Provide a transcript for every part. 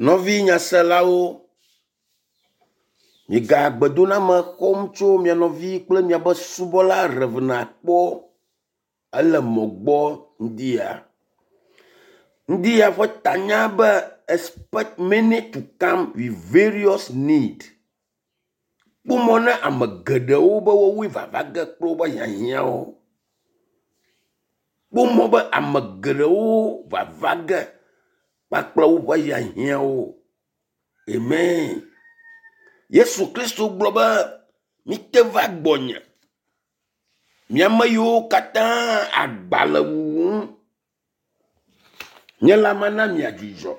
Nɔvi nyaselawo, miga gbedoname xɔm tso mia nɔvi kple miaƒe subɔla Rev. Akpɔ ele mɔ gbɔ ŋdi ya. Ŋdi ya ƒe tanya be expect many to come with various need. Kpɔ mɔ na ame geɖewo be wowoe vava ge kple woƒe hiahiãwo. Kpɔ mɔ be ame geɖewo vava ge kpakple woƒe hiahiãwo. Amen. Yesu Kristo gblɔ be mite va gbɔnye mi ame yiwo katã agba le wuwum. Nye la mana miadzudzɔ.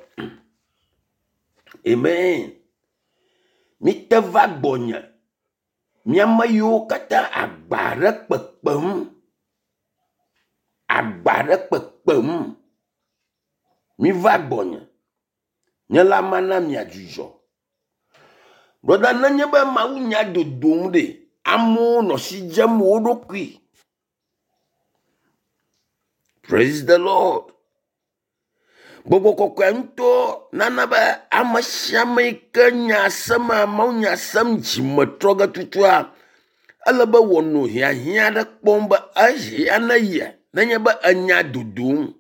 Amen. Mite va gbɔnye mi ame yiwo katã agba ɖe kpekpem. Agba ɖe kpekpem. Miva gbɔnye. Nye la mana miadzudzɔ. Brɔda nenye be Mawu nya dodom ɖe, amewo nɔ si dzem wo ɖokui. Praise the Lord. Gbɔgbɔ kɔkɔea ŋutɔ nana be ame sia ame yi ke nya sema Mawu nya sem dzime trɔ ge tutua, ele be wòanɔ hiahiã aɖe kpɔm be ehiã ne ye nenye be enya dodom.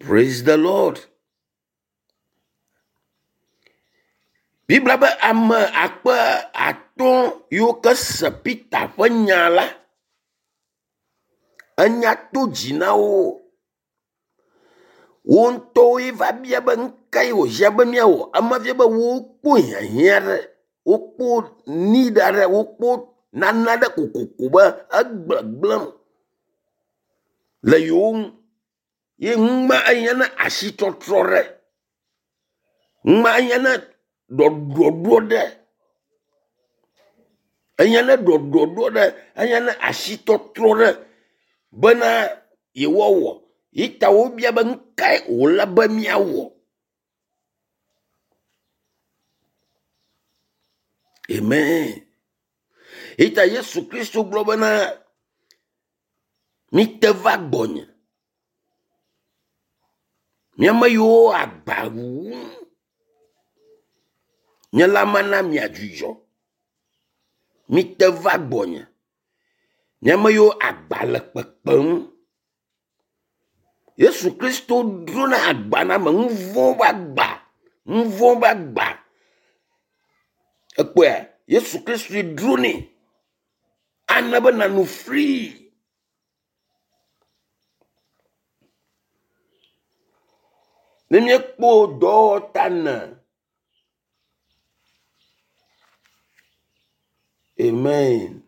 Praise the Lord. Biblia be ame akpe atɔ̃ yiwo ke se Peter ƒe nya la, enya to dzi na wo. Wo ŋutɔwoe va bia be nu kae wòhiã be míawɔ. Ema fia be wokpɔ hiahiã ɖe, wokpɔ need aɖe, wokpɔ nane aɖe kokoko be egbegblẽm le yewo ŋu ye nu ma ehiã na asitɔtrɔ ɖe. Nu ma ehiã na ɖɔɖɔɖo ɖe. Ehiã na ɖɔɖɔɖo ɖe, ehiã na asitɔtrɔ ɖe bena yewoawɔ. Yi ta wobia be nu kae wòle be míawɔ. Amen. Yi ta Yesu Kristo gblɔ bena mite va gbɔnye. Mi ame yiwo agba wuwum. Nye la mana miadzudzɔ. Mite va gbɔnye. Mi ame yiwo agba le kpekpem. Yesu Kristo drona agba na ame nu vɔ̃ ƒe agba, nu vɔ̃ ƒe agba. Ekpɔea Yesu Kristoe dronɛ ana be nànɔ free. Ne míekpɔ dɔwɔta ne Amen.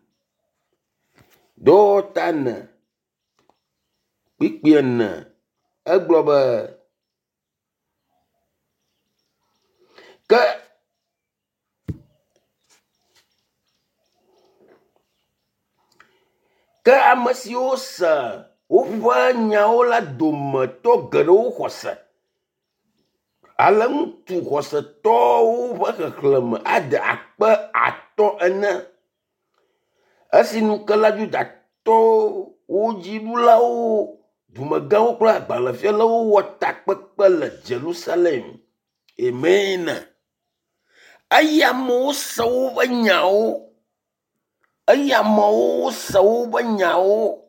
Dɔwɔta ne kpikpi ene egblɔ be ke ke ame siwo se woƒe nyawo la dometɔ geɖewo xɔ se. Ale ŋutsu xɔsetɔwo ƒe xexlẽme ade akpe atɔ̃ ene. Esi nukela Yudatɔwo dziɖulawo, dumegãwo kple agbalẽfialawo wɔ takpekpe le Yerusalem. Amen. Eye amewo se woƒe nyawo. Eye amewo se woƒe nyawo.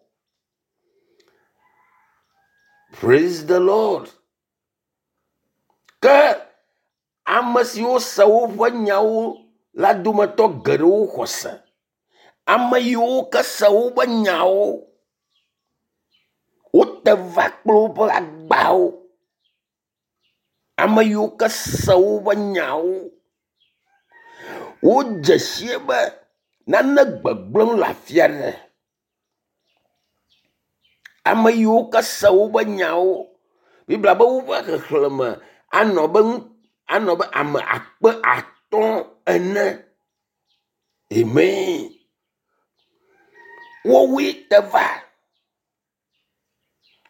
Praise the Lord. Ke ame siwo se woƒe nyawo la dometɔ geɖewo xɔ se. Ame yiwo ke se woƒe nyawo, wote va kple woƒe agbawo. Ame yiwo ke se woƒe nyawo, wodze sie be nane gbegblẽm le afi aɖe. Ame yiwo ke se woƒe nyawo, Biblia be woƒe xexlẽme anɔ be nu anɔ be ame akpe atɔ̃ ene. Amen. Wowoe te va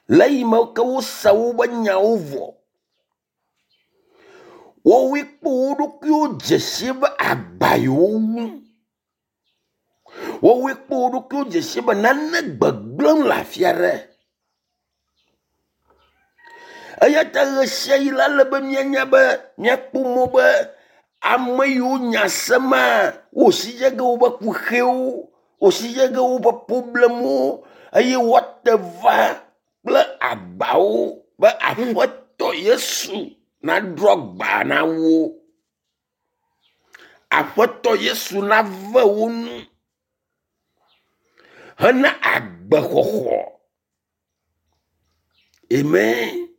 le eyime ke wose woƒe nyawo vɔ. Wowoe kpɔ wo ɖokuiwo dze si be agba yewo wu. Wowoe kpɔ wo ɖokuiwo dze si be nane gbegblẽm le afi aɖe. Eya ta ɣesiaɣi la ele be míanya be míakpɔ mɔ be ame yiwo nya sema wo si dze ge woƒe kuxiwo, wo si dze ge woƒe problemwo eye woate va kple agbawo be Aƒetɔ Yesu naɖo agba na wo. Aƒetɔ Yesu nave wo nu hena agbexɔxɔ. Amen.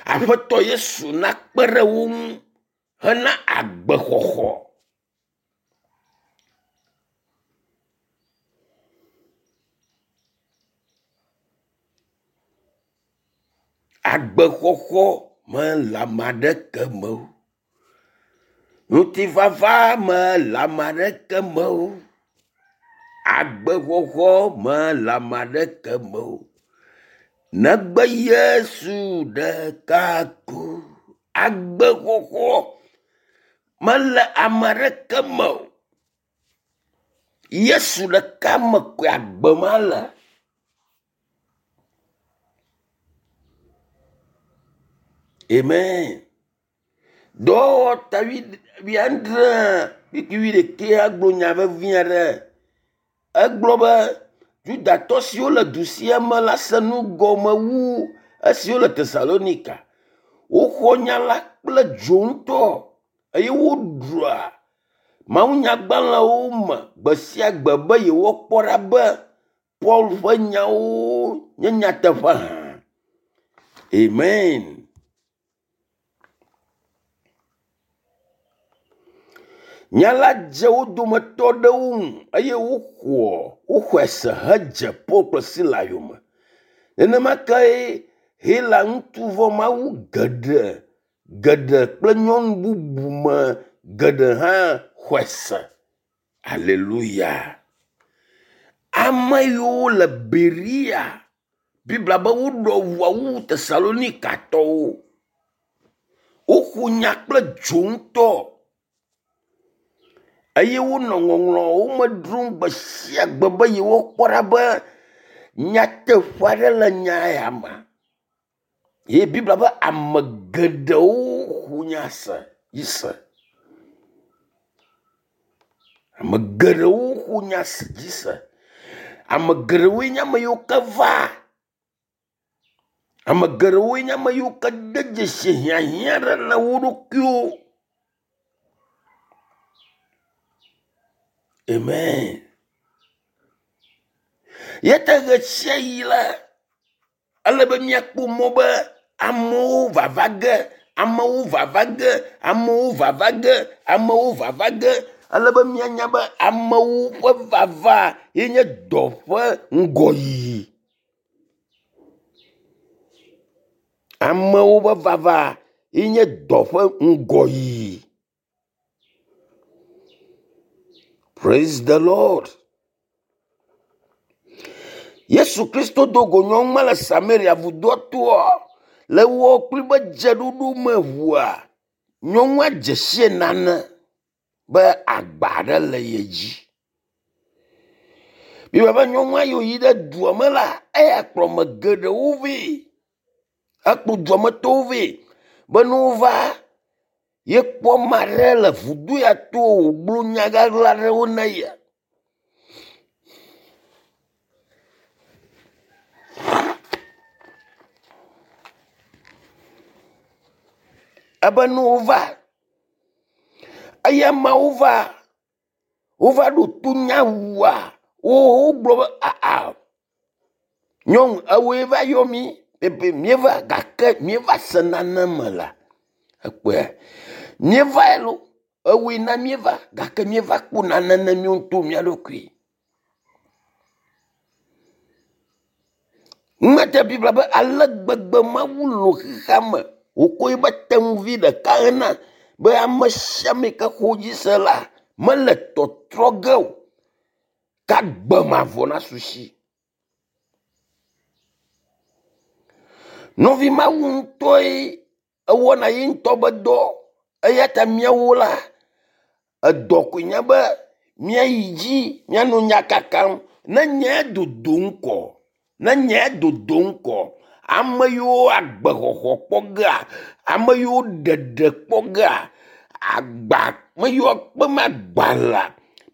Aƒetɔ Yesu nakpe ɖe wo ŋu hena agbexɔxɔ. Agbexɔxɔ mele ame aɖeke me o. Ŋutifafa mele ame aɖeke me o. Agbexɔxɔ mele ame aɖeke me o. Negbe Yesu ɖeka ko. Agbexɔxɔ mele ame aɖeke me o. Yesu ɖeka me koe agbe ma le. Amen. Dɔwɔwɔ ta wuiadre kpukpui wuiɖekɛa gblɔ nya vevi aɖe. Egblɔ be Yudatɔ siwo le du sia me la se nu gɔme wu esiwo le Tesalonika. Woxɔ nya la kple dzo ŋutɔ eye woɖua mawunyagbalẽwo me gbe sia gbe be yewoakpɔ ɖa be Paul ƒe nyawo nye nyateƒe hã. Amen. Nya la dze wo dometɔ aɖewo ŋu eye woxɔ woxɔe se hedze Paul kple Sila yome. Nenema kee Hela ŋutsu vɔ̃ mawu geɖe geɖe kple nyɔnu bubu me geɖe hã xɔe se. Aleluya. Ame yiwo le Berea, Biblia be woɖɔ ʋua wu Tesalonikatɔwo. Woƒo nya kple dzo ŋutɔ eye wonɔ ŋɔŋlɔwo me dzrom gbe sia gbe be yewoakpɔ ɖa be nyateƒe aɖe le nya ya me. Ye Biblia be ame geɖewo ƒo nya se dzi se. Ame geɖewo ƒo nya dzi se. Ame geɖewoe nye ame yiwo ke va. Ame geɖewoe nye ame yiwo ke de dzesi hiahiã aɖe le wo ɖokuiwo. Amen. Ye ta ɣesiaɣi la, ele be míakpɔ mɔ be amewo vava ge, amewo vava ge, amewo vava ge, amewo vava ge. Ele be míanya be amewo ƒe vava ye nye dɔ ƒe ŋgɔyiyi. Amewo ƒe vava ye nye dɔ ƒe ŋgɔyiyi. Praise the Lord. Yesu Kristo do go nyɔnu ma le Samaria vudoa toa le wɔ kpli be dzeɖoɖo me ʋua nyɔnua dze sie nane be agba aɖe le ye dzi. Biblia be nyɔnua yi yi ɖe dua me la, eya kplɔ ame geɖewo vɛ. Ekplɔ duametɔwo vɛ be ne wova yekpɔ ame aɖe le vudo ya to wògblɔ nya ɣaɣla aɖewo na ye. Ebe ne wova eye ameawo va wova ɖo to nyawua wogblɔ be aa nyɔnu ewoe va yɔ mí pepe míeva gake míeva se nane me la ekpɔe míeva lo ewoe na míeva gake míeva kpɔ nane ne míawo ŋutɔ mía ɖokui. Ŋmete Biblia be ale gbegbe Mawu lɔ̃ xexea me wòkɔ eƒe tenuvi ɖeka hena be ame sia ame ke xɔ dzi se la mele tɔtrɔ ge o ke agbe mavɔ nasu si. Nɔvi Mawu ŋutɔe ewɔna ye ŋutɔ be dɔ eya ta míawo la edɔ koe nye be míayi dzi míanɔ nya kakam ne nyaa dodo ŋkɔ ne nyaa dodo ŋkɔ. Ame yiwo agbexɔxɔ kpɔ gea, ame yiwo ɖeɖe kpɔ gea, agba me yiwo kpem agba lea,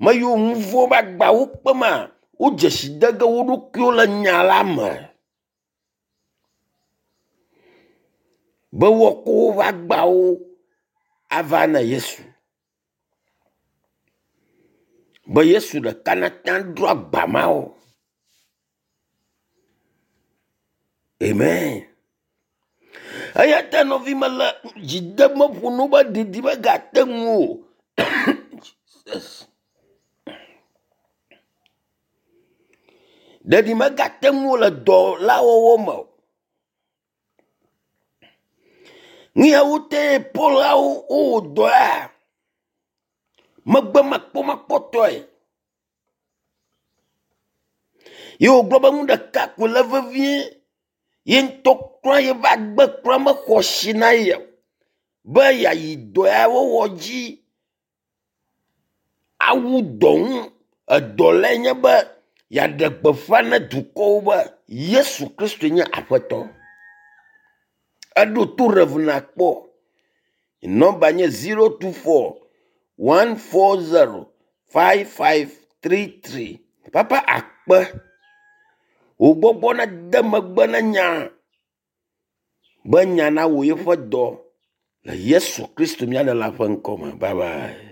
me yiwo nu vɔ̃ ƒe agbawo kpema, wo dzesi de ge wo ɖokuiwo le nya la me be woakɔ woƒe agbawo ava na Yesu. Be Yesu ɖeka nate ŋu adro agba ma wo. Amen. Eya ta nɔvi mele dzi dem ƒo no be ɖiɖi megate ŋu o. Jesus. Ɖeɖi megate ŋu le dɔ la wɔwɔ me o. Nu yawo te Paulawo wowɔ dɔa megbe makpɔmakpɔtɔe. Ye wògblɔ be nu ɖeka ko le vevie ye ŋutɔ kura yeƒe agbe kura mexɔ asi na ye o be yeayi dɔ ya wɔwɔ dzi awu dɔ ŋu. Edɔ lae nye be yeaɖe gbeƒã na dukɔwo be Yesu Kristoe nye Aƒetɔ. Eɖo to Rev. Nakpɔ. Nɔmba nye 024 140 5533. Papa akpe. Wò gbɔgbɔ nade megbe na nya be nya nawɔ yeƒe dɔ le Yesu Kristo mía Ɖela ƒe ŋkɔ me. Bye bye.